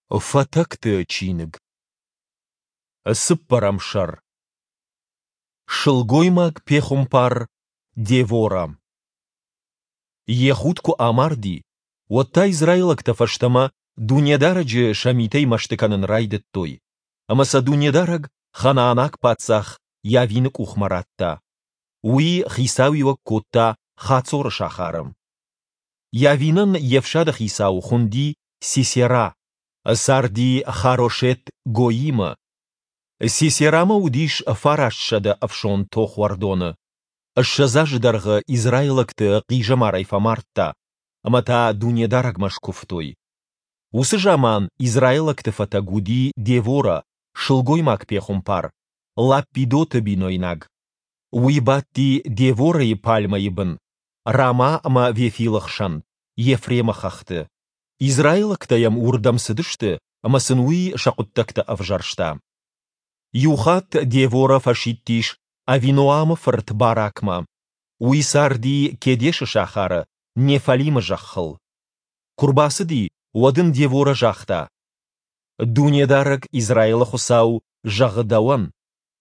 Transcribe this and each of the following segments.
Фатӕгты чиныг. Цыппӕрӕм сӕр. Сылгоймаг-пехуымпар Девора. Ехуд куы амарди, уӕд та израилӕгтӕ фӕстӕмӕ Дунедарӕджы сӕ митӕй мӕсты кӕнын райдыдтой, ӕмӕ сӕ Дунедарӕг ханаанаг паддзах Йавины къухмӕ радта. Уый хицауиуӕг кодта Хацоры сахары. Йавинӕн йе фсады хицау хуынди Сисера, царди Харошет-Гоимы. Сисерамӕ уыдис 900 ӕфсон тохуӕрдоны. 20 азы дӕргъы израилӕгты хъизӕмарӕй фӕмардта, ӕмӕ та Дунедарӕгмӕ скуывтой. Уыцы заман израилӕгты фӕтӕг уыди Девора, сылгоймаг-пехуымпар, Лаппидоты бинойнаг. Уый бадти Деворӕйы пальмӕйы бын, Рама ӕмӕ Вефилы хсӕн, Ефремы хӕхты. Израилӕгтӕ йӕм уырдӕм цыдысты, ӕмӕ сын уый сӕ хъуыддӕгтӕ ӕвзӕрста. Иухатт Девора фӕсидтис Авиноамы фырт Баракмӕ. Уый царди Кедешы сахары, Неффалимы зӕххыл. Куы рбацыди, уӕд ын Девора загъта: Дунедарӕг, Израилы Хуыцау, зӕгъы дӕуӕн: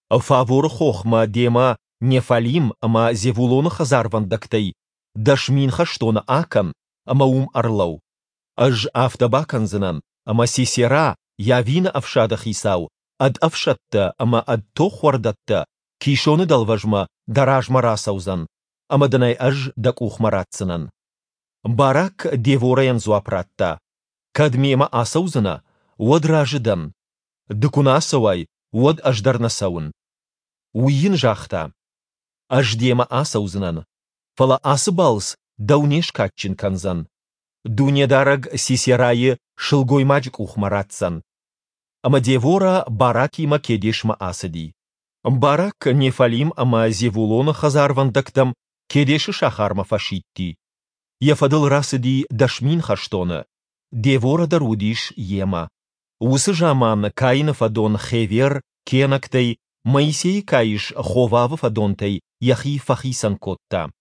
Фаворы хохмӕ демӕ Неффалим ӕмӕ Зевулоны хӕдзарвӕндӕгтӕй 10,000 хӕстоны акӕн ӕмӕ уым ӕрлӕуу. Ӕз афтӕ бакӕндзынӕн, ӕмӕ Сисера, Йавины ӕфсады хицау, ӕд ӕфсӕдтӕ ӕмӕ ӕд тохуӕрдӕттӕ Кисоны дӕлвӕзмӕ дӕ размӕ рацӕудзӕн, ӕмӕ дын ӕй ӕз дӕ къухмӕ ратдзынӕн. Барак Деворӕйӕн дзуапп радта: Кӕд мемӕ ацӕудзынӕ, уӕд разы дӕн. Ды куы нӕ ацӕуай, уӕд ӕз дӕр нӕ цӕуын. Уый йын загъта: Ӕз демӕ ацӕудзынӕн, фӕлӕ ацы балц дӕу не скадджын кӕндзӕн. Дунедарӕг Сисерайы сылгоймаджы къухмӕ ратдзӕн. Ӕмӕ Девора Баракимӕ Кедешмӕ ацыди. Барак Неффалим ӕмӕ Зевулоны хӕдзарвӕндӕгтӕм Кедешы сахармӕ фӕсидти. Йӕ фӕдыл рацыди 10,000 хӕстоны, Девора дӕр уыдис йемӕ. Уыцы заман Каины фӕдон Хевер кенӕгтӕй, Моисейы каис Ховавы фӕдонтӕй йӕхи фӕхицӕн кодта.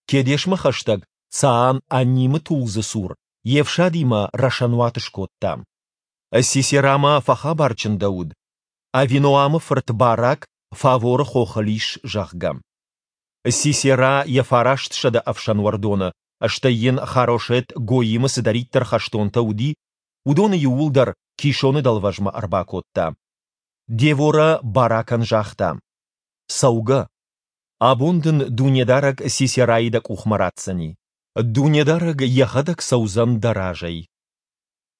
Кедешмӕ хӕстӕг Цаан-Аннимы тулдзы цур йе фсадимӕ рӕсӕнуат скодта. Сисерамӕ фӕхабар чындӕуыд, Авиноамы фырт Барак Фаворы хохыл ис, зӕгъгӕ. Сисера йӕ 900 ӕфсӕнуӕрдоны, стӕй йын Харошет-Гоимы цыдӕриддӕр хӕстонтӕ уыди, уыдоны иууылдӕр Кисоны дӕлвӕзмӕ ӕрбакодта. Девора Баракӕн загъта: «Цӕугӕ! Абон дын Дунедарӕг Сисерайы дӕ къухмӕ ратдзӕни. Дунедарӕг йӕхӕдӕг цӕудзӕн дӕ разӕй».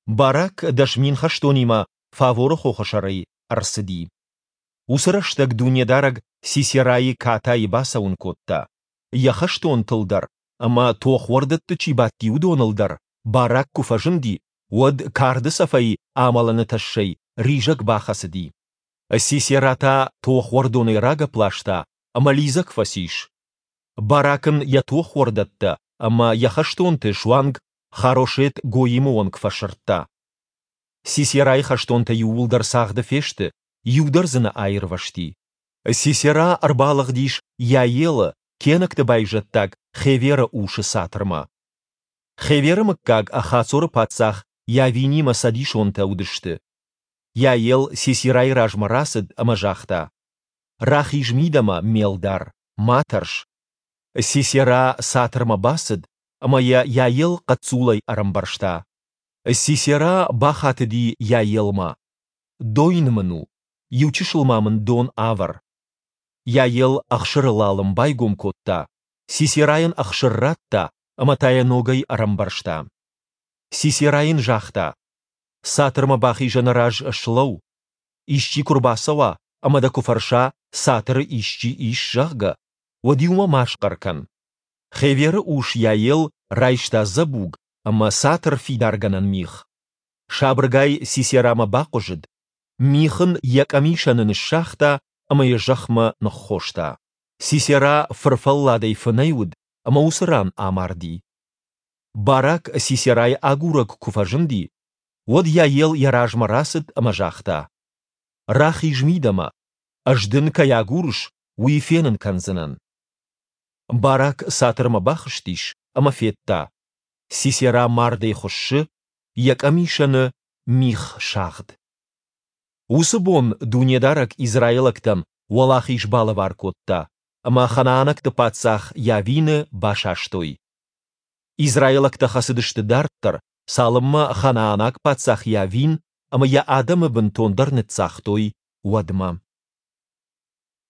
Барак 10,000 хӕстонимӕ Фаворы хохы сӕрӕй ӕрцыди. Уыцы рӕстӕг Дунедарӕг Сисерайы катайы бацӕуын кодта. Йӕ хӕстонтыл дӕр ӕмӕ тохуӕрдӕтты чи бадти, уыдоныл дӕр Барак куы фӕзынди, уӕд карды цӕфӕй амӕлыны тӕссӕй ризӕг бахӕцыди. Сисера та тохуӕрдонӕй рагӕпп ласта ӕмӕ лидзӕг фӕцис. Барак ын йӕ тохуӕрдӕттӕ ӕмӕ йӕ хӕстонты суанг Харошет-Гоимы онг фӕсырдта. Сисерайы хӕстонтӕ иууылдӕр цагъды фесты, иу дӕр дзы нӕ аирвӕзти. Сисера ӕрбалыгъдис Йаелы, кенӕгты байзӕддаг Хеверы усы цатырмӕ. Хеверы мыггаг Хацоры паддзах Йавинимӕ цӕдисонтӕ уыдысты. Йаел Сисерайы размӕ рацыд ӕмӕ загъта: «Рахиз мидӕмӕ, ме лдар, ма тӕрс». Сисера цатырмӕ бацыд, ӕмӕ йӕ Йаел хъӕццулӕй ӕрӕмбӕрзта. Сисера бахатыди Йаелмӕ: «Дойны мын у, иу чысыл ма мын дон авӕр». Йаел ӕхсыры лалым байгом кодта, Сисерайӕн ӕхсыр радта ӕмӕ та йӕ ногӕй ӕрӕмбӕрзта. Сисера йын загъта: «Цатырмӕ бахизӕны раз слӕуу. Исчи куы рбацӕуа ӕмӕ дӕ куы фӕрса, цатыры исчи ис, зӕгъгӕ, уӕд-иу мӕ ма схъӕр кӕн». Хеверы ус Йаел райста дзӕбуг ӕмӕ цатыр фидаргӕнӕн мих. Сабыргай Сисерамӕ бахъуызыд, мих ын йӕ къӕмисӕны ныссагъта ӕмӕ йӕ зӕхмӕ ныххоста. Сисера фырфӕлладӕй фынӕй уыд ӕмӕ уыцы ран амарди. Барак Сисерайы агурӕг куы фӕзынди, уӕд Йаел йӕ размӕ рацыд ӕмӕ загъта: «Рахиз мидӕмӕ, ӕз дын кӕй агурыс, уый фенын кӕндзынӕн». Барак цатырмӕ бахызтис ӕмӕ федта, Сисера мардӕй хуыссы, йӕ къӕмисӕны. мих сагъд. Уыцы бон Дунедарӕг израилӕгтӕн уӕлахиз балӕвар кодта, ӕмӕ ханаанӕгты паддзах Йавины басастой. Израилӕгтӕ хӕцыдысты дарддӕр, цалынмӕ ханаанаг паддзах Йавин ӕмӕ йӕ адӕмы бынтондӕр ныццагътой, уӕдмӕ.